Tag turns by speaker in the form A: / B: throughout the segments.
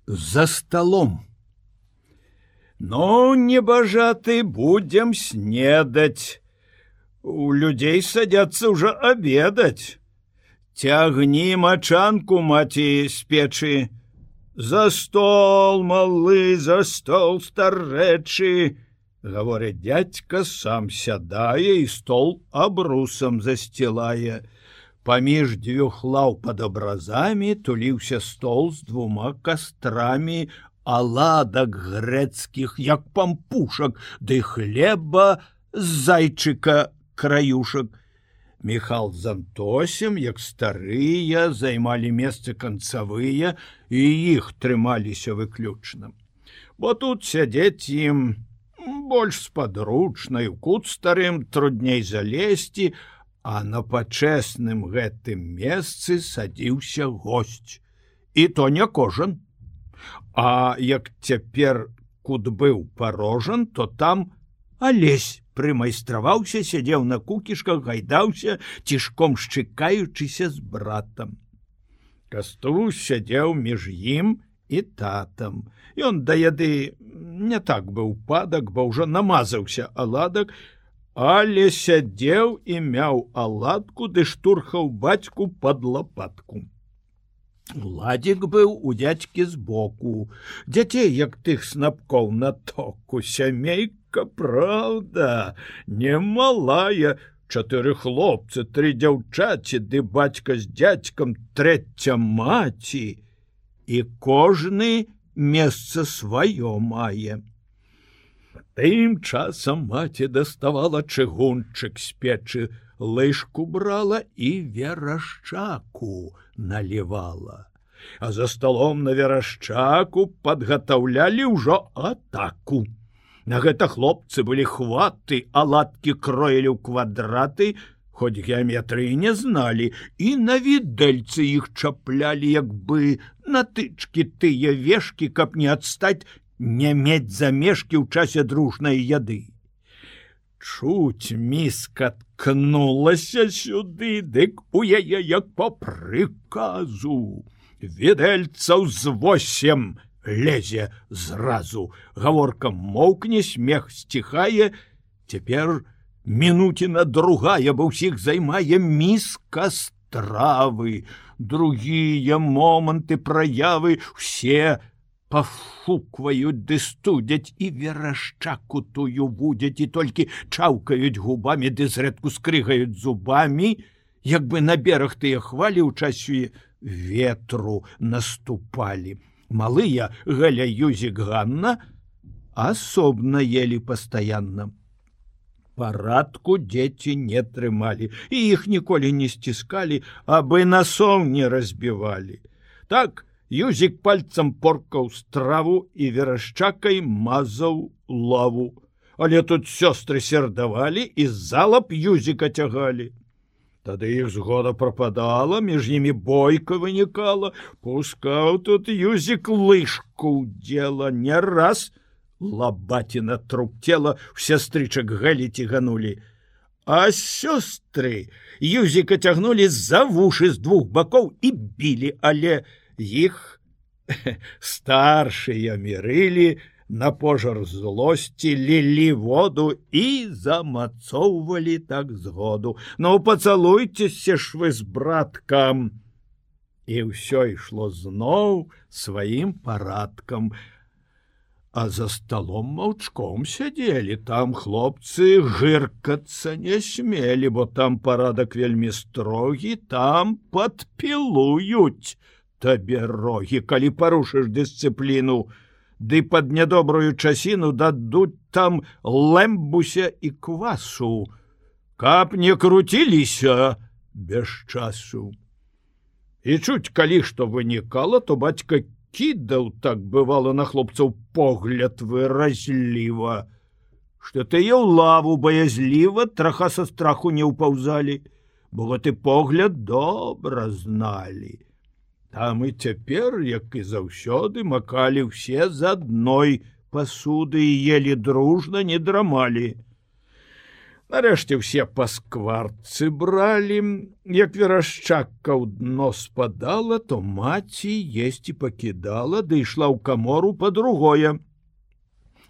A: за столом. «Ну, небожаты, будем снедать. У людей садятся уже обедать. Тягни мочанку, маті, з печи. За стол, малы, за стол, старэчы!» Гаворыць дядька, сам сядае і стол абрусам засцілае. Паміж дзвюх лаў пад абразамі туліўся стол з двума кастрамі аладак грэцкіх, як пампушак, ды хлеба з зайчыка краюшак. Міхал з Антосем, як старыя, займалі месцы канцавыя, і іх трымаліся выключна. Бо тут сядзець ім больш спадручна, і ў кут старым трудней залезці, а на пачэсным гэтым месцы садзіўся госць. І то не кожан. А як цяпер кут быў парожан, то там Алесь прымайстраваўся, сядзеў на кукішках, гайдаўся, цішком шчыкаючыся з братам. Кастусь сядзеў між ім і татам. Ён да яды не так быў падак, бо ўжо намазаўся аладак, але сядзеў і мяў аладку, ды штурхаў бацьку пад лапатку. Ладзік быў у дзядзькі збоку. Дзяцей, як тых снапкоў на току, сямейка, праўда, немалая. 4 хлопцы, 3 дзяўчаці, ды бацька з дзядзькам, 3 маці. І кожны месца сваё мае. Тым часам маці даставала чыгунчык з печы, лыжку брала і верашчаку налівала. А за столом на верашчаку падгатаўлялі ўжо атаку. На гэта хлопцы былі хваты, аладкі кроілі ў квадраты, хоць геаметрыі не зналі, і на відэльцы іх чаплялі, як бы на тычкі тыя вешкі, каб не адстаць, не мець замешкі ў часе дружнай яды. Чуць міска ткнулася сюды, дык у яе, як па прыказу. Відэльцаў з 8 лезе зразу. Гаворка моўкне, смех сціхае. Цяпер мінуціна другая, бо ўсіх займае міска стравы. Другія моманты праявы усе пафукваюць ды студзяць, і верашчаку тую вудзяць, і толькі чаўкаюць губамі ды зрэдку скрыгаюць зубамі, як бы на бераг тыя хвалі ў часе ветру наступалі. Малыя Галя, Юзік, Ганна асобна елі пастаянна. Парадку дзеці не трымалі, і іх ніколі не сціскалі, абы насоў не разбівалі. Так, Юзік пальцам поркаў страву і верашчакай мазаў лаву. Але тут сёстры сердавалі і залап Юзіка цягалі. Тады іх згода прападала, між імі бойка вынікала. Пускаў тут Юзік лыжку дзела. Не раз лабаціна труп цела ў сястрычак Галі цяганулі. А сёстры Юзіка цягнулі за вушы з 2 бакоў і білі, але іх старшыя мірылі, на пожар злосці лілі воду і замацоўвалі так згоду. Ну, пацалуйцеся ж вы з браткам. І ўсё ішло зноў сваім парадкам. А за столом маўчком сядзелі. Там хлопцы гыркацца не смелі, бо там парадак вельмі строгі, там падпілуюць табе рогі, калі парушыш дысцыпліну. Ды пад нядобрую часіну дадуць там лэмбуся і квасу, каб не круціліся без часу. І чуць, калі што вынікала, то бацька кідаў, так бывала, на хлопцаў погляд выразліва, што тыя ў лаву баязліва траха са страху не ўпаўзалі, бо гэты погляд добра зналі. Там і цяпер, як і заўсёды, макалі ўсе з адной пасуды і елі дружна, не драмалі. Нарэшце ўсе па скварцы бралі, як верашчакка ў дно спадала, то маці есці пакідала, ды ішла ў камору па другое.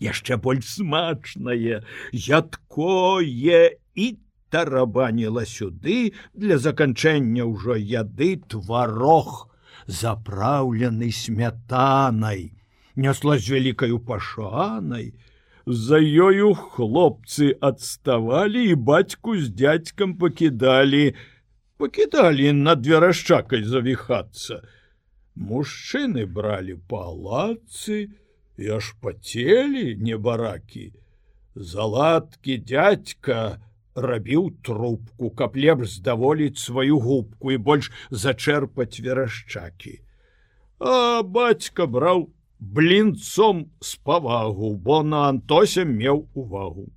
A: Яшчэ больш смачнае, ядкое і тарабаніла сюды для заканчэння ўжо яды тварог, запраўлены смятанай, нясла з вялікаю пашанай. За ёю хлопцы адставалі і бацьку з дзядзькам пакідалі над верашчакай завіхацца. Мужчыны бралі палацы і аж пацелі небаракі. Заладкі дзядзька рабіў трубку, каб лепш здаволіць сваю губку і больш зачэрпаць верашчакі. А бацька браў блінцом з павагу, бо на Антося меў увагу.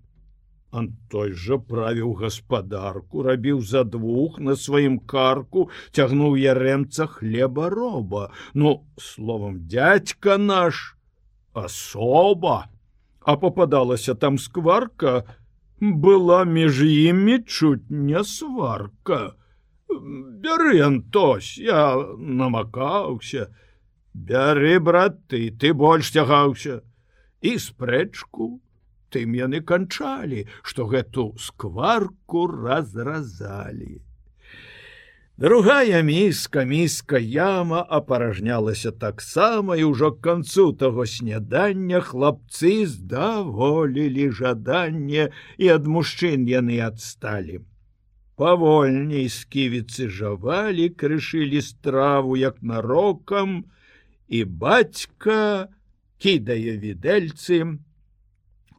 A: Антой жа правіў гаспадарку, рабіў за двух на сваім карку, цягнуў ярэмца хлебароба. Ну, словам, дзядзька наш асоба. А попадалася там скварка, была між імі чуць не сварка. Бяры, Антось, я намакаўся. Бяры, брат, ты больш цягаўся. І спрэчку тым яны канчалі, што гэту скварку разразалі. Другая міска яма апаражнялася таксама, і ўжо к канцу таго снядання хлапцы здаволілі жаданне, і ад мужчын яны адсталі. Павольней сківіцы жавалі, крышылі страву як нарокам, і бацька кідае відэльцы,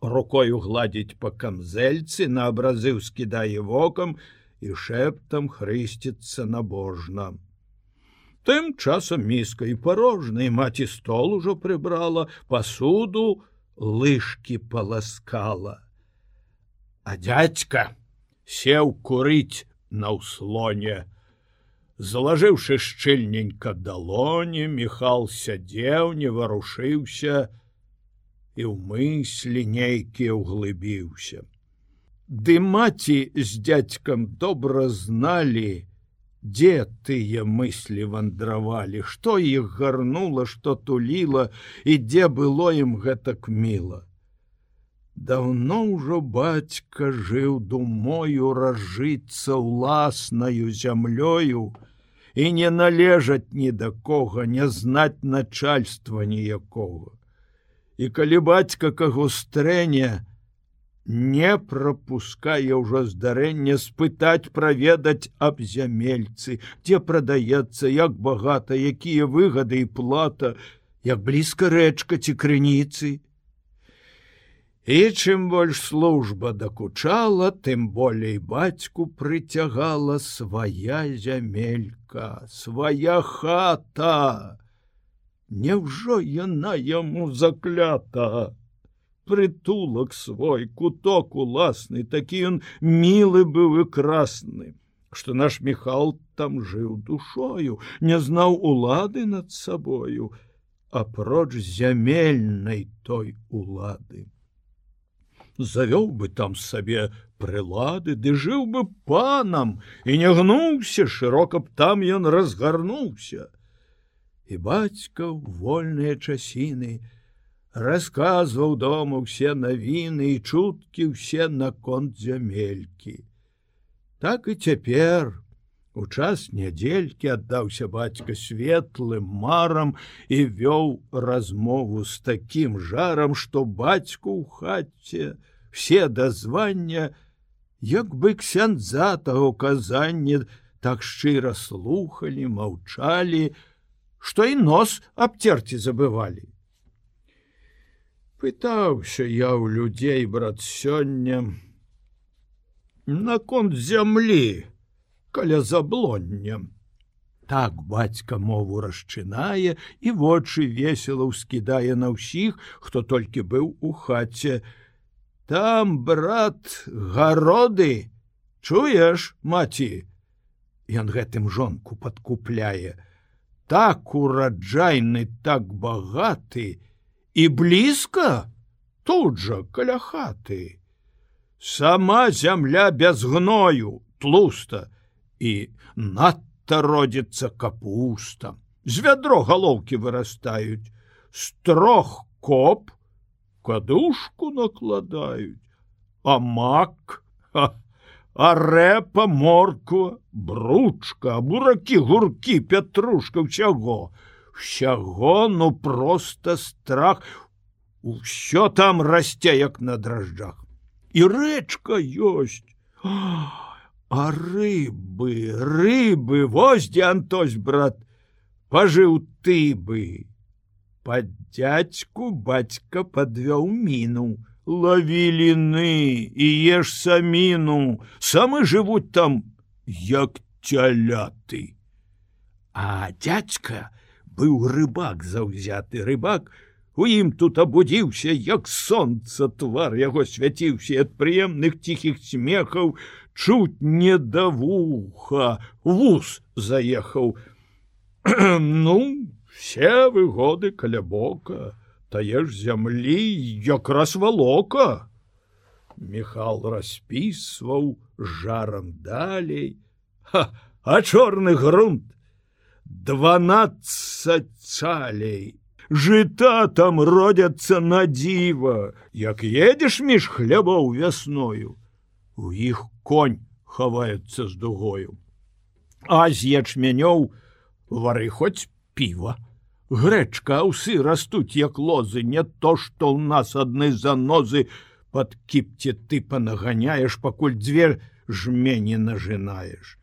A: рукою гладзіць па камзэльцы, на абразы ўскідае вокам і шэптам хрысціцца набожна. Тым часам міска і парожна, і маці стол ужо прыбрала, пасуду лыжкі паласкала. А дзядзька сеў курыць на ўслоне. Залажыўшы шчыльненька далоні, Міхал сядзеў, не варушыўся і ў мыслі нейкія ўглыбіўся. Ды маці з дзядзькам добра зналі, дзе тыя мыслі вандравалі, што іх гарнула, што туліла, і дзе было ім гэтак міла. Даўно ўжо бацька жыў думою разжыцца ўласнаю зямлёю і не належаць ні да кога, не знаць начальства ніякога. І калі бацька каго стрэне, не прапускае ўжо здарэння спытаць, праведаць аб зямельцы, дзе прадаецца, як багата, якія выгады і плата, як блізка рэчка ці крыніцы. І чым больш служба дакучала, тым болей бацьку прыцягала свая зямелька, свая хата. Няўжо яна яму заклята? Прытулак свой, куток уласны, такі ён мілы быў і красны, што наш Міхал там жыў душою, не знаў улады над сабою, апроч зямельнай той улады. Завёў бы там сабе прылады, ды жыў бы панам, і не гнуўся, шырока б там ён разгарнуўся. І бацька ў вольныя часіны расказваў дома ўсе навіны і чуткі ўсе наконт зямелькі. Так і цяпер, у час нядзелькі, аддаўся бацька светлым марам і вёў размову з такім жарам, што бацьку ў хаце все дазвання, як бы ксяндза таго казання, так шчыра слухалі, маўчалі, што і нос абцерці забывалі. Пытаўся я ў людзей, брат, сёння наконт зямлі каля заблоння. Так бацька мову расчынае і вочы весела ўскідае на ўсіх, хто толькі быў у хаце. Там, брат, гароды, чуеш, маці? Ён гэтым жонку падкупляе. Так ураджайны, так багаты, і блізка тут жа каля хаты. Сама зямля без гною, тлуста, і надта родзіцца капуста. З вядро галоўкі вырастаюць, з 3 коп кадушку накладаюць, а мак, а рэпа, морква, бручка, буракі, гуркі, пятрушка, ўсяго, ну проста страх. Усё там расце, як на дражджах. І рэчка ёсць. А рыбы, вось дзе Антось, брат, пажыў ты бы. Пад дзядзьку бацька падвёў міну. Лаві ліны і еш саміну. Самы жывуць там, як цяляты. А дзядзька быў рыбак заўзяты, рыбак. У ім тут абудзіўся, як сонца, твар яго свяціўся ад прыемных ціхіх смехаў, чуць не да вуха, вус заехаў. Ну, все выгоды каля бока, тае ж зямлі якраз валока. Міхал распісваў жарам далей. А чорны грунт 12 цалей. Жыта там родзяцца на дзіва, як едзеш між хлябоў вясною. У іх конь хаваецца з дугою. А з ячменёў вары хоць піва. Грэчка, аўсы растуць, як лозы, не то, што ў нас адны занозы. Пад кіпце ты панаганяеш, пакуль 2 жмені нажынаеш.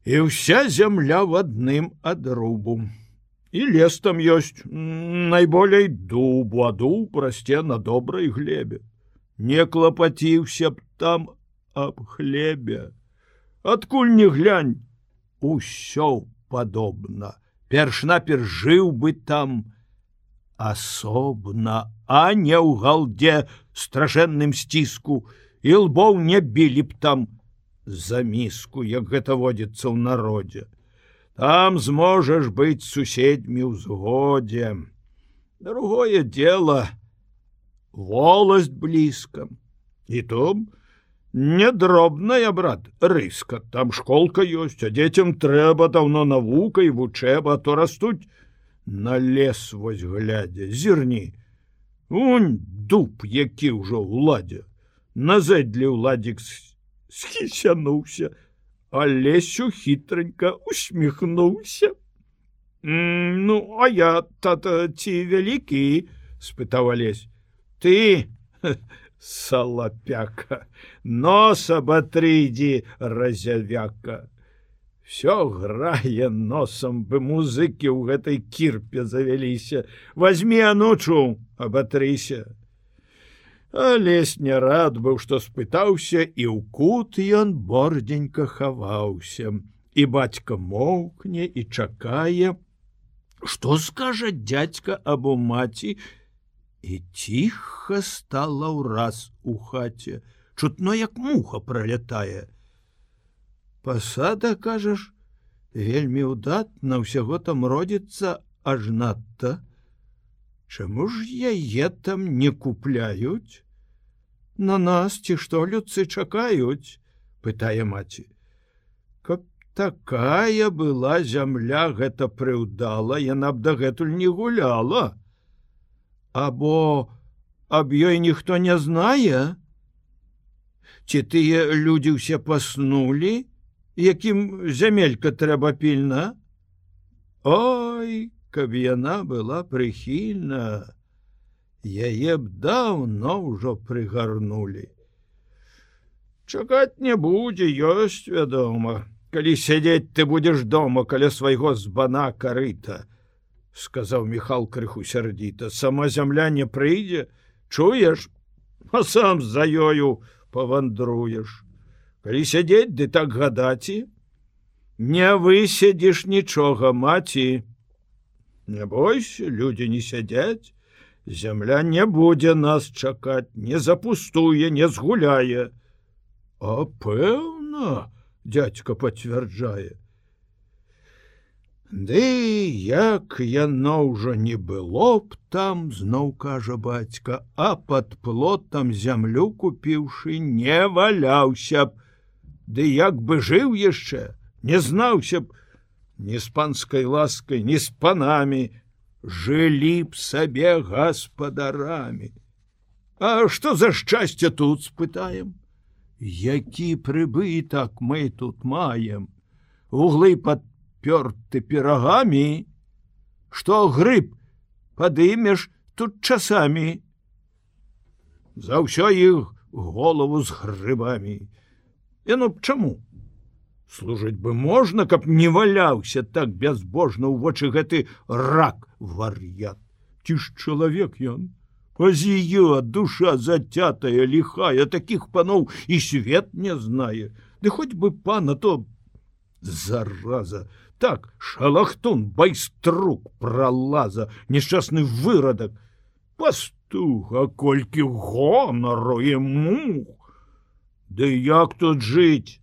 A: І ўся зямля в адным адрубу. І лес там ёсць, найболей дубу, а дуб расце на добрай глебе. Не клапаціўся б там аб хлебе. Адкуль не глянь, усё падобна. Перш-наперш жыў бы там асобна, а не ў галде страшэнным сціску, і лбоў не білі б там за міску, як гэта водзіцца ў народзе. Там зможаш быць суседзьмі ў згодзе. Другое дело — волость блізка. І то не дробная, брат, рыска. Там школка ёсць, а дзецям трэба даўно навука і вучэба, а то растуць на лес вось глядзя. Зірні, унь дуб, які ўжо ў ладзе. На зэдлі ўладзік схісянуўся, а Лесю хітранька усміхнуўся. Ну, а я, тата, ці вялікі? — спытаў Алесь. Ты, салапяка, нос аботрыдзі, разявяка. Всё грае носом, бы музыкі ў гэтай кірпе завяліся. Возьми, анучу, аботрыся. Алесь не рад быў, што спытаўся, і ў кут ён бордзенька хаваўся. І бацька моўкне і чакае, што скажа дзядзька або маці, і ціха стала ўраз у хаце. Чутно, як муха пролятае. Пасада, кажаш, вельмі ўдатна, ўсяго там родзіцца аж надта. Чаму ж яе там не купляюць? На нас ці што людцы чакаюць? — пытае маці. Каб такая была зямля, гэта прыўдала, яна б дагэтуль не гуляла. Або аб ёй ніхто не знае? Ці тыя людзі ўсе паснулі, якім зямелька трэба пільна? Ой, каб яна была прыхільна, яе б даўно ўжо прыгарнулі. Чакаць не будзе, ёсць, вядома. Калі сядзець ты будзеш дома каля свайго збана карыта, — сказаў Міхал крыху сярдзіта. Сама зямля не прыйдзе, чуеш, а сам за ёю павандруеш. Калі сядзець, ды так гадаці, не высядзіш нічога, маці. Не бойся, людзі не сядзяць, зямля не будзе нас чакаць, не запустуе, не згуляе. А пэўна, дзядзька пацвярджае. Ды як яно ўжо не было б там, зноў кажа бацька, а пад плотам зямлю купіўшы, не валяўся б. Ды як бы жыў яшчэ, не знаўся б ні з панскай ласкай, ні з панамі, жылі б сабе гаспадарамі. А што за шчасце тут, спытаем? Які прыбытак мы тут маем? Углы падпёрты пірагамі, што грыб падымеш тут часамі. За ўсё іх голову з грыбамі. Яно б чаму? Служыць бы можна, каб не валяўся так бязбожна ў вочы гэты рак вар'ят. Ці ж чалавек ён? Пазіё, душа зацятая, лихая, такіх паноў і свет не знае. Ды хоць бы пана, то зараза, так, шалахтун, байструк, пралаза, несчастны вырадак. Пастух, а колькі гонару і мух. Ды як тут жыць?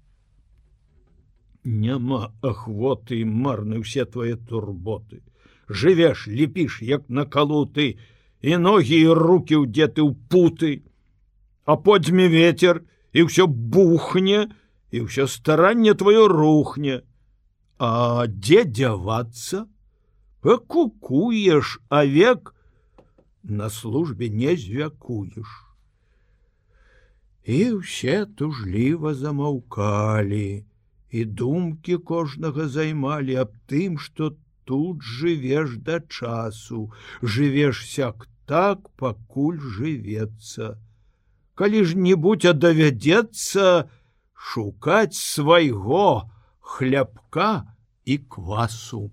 A: Няма ахвоты і марны ўсе твае турботы. Жывеш, ліпіш, як накалуты, і ногі і рукі ўдзеты ў путы, а подзьме ветер, і ўсё бухне, і ўсё старанне твоё рухне. А дзе дзявацца? Пакукуеш, а век на службе не звякуеш. І ўсе тужліва замаўкалі, і думкі кожнага займалі аб тым, што тут жывеш да часу, жывеш сяк так, пакуль жывецца. Калі ж небудзь давядзецца шукаць свайго хлябка і квасу.